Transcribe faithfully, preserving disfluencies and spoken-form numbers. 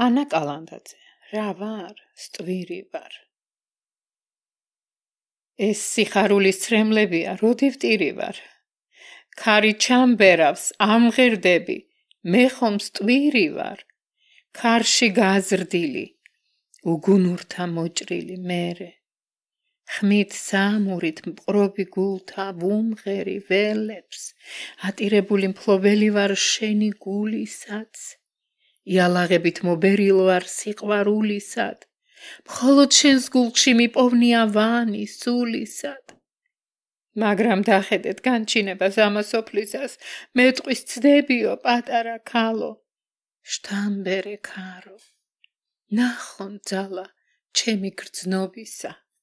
ანა კალანდაძე, რა ვარ, სტვირი ვარ. ეს სიხარულის ცრემლებია, როდი ვტირი ვარ. ქარი ჩამბერავს, ამღერდები, მე ხომ სტვირი ვარ. ქარში გაზრდილი, უგუნურთა მოჭრილი მერე. ხმით საამურით მყრობი გულთა ვუმღერი ველებს, ატირებული მფლობელი ვარ შენი გულისაც. იალაღებით მობერილ ვარ სიყვარულისად, მხოლოდ შენს გულში მიპოვნია ვანი სულისად. მაგრამ დახედეთ განჩინებას ამასოფლისას, მე ტყვის ცდებიო პატარა ქალო, შთამბერე ქარო, ნახონ ძალა ჩემი გრძნობისა.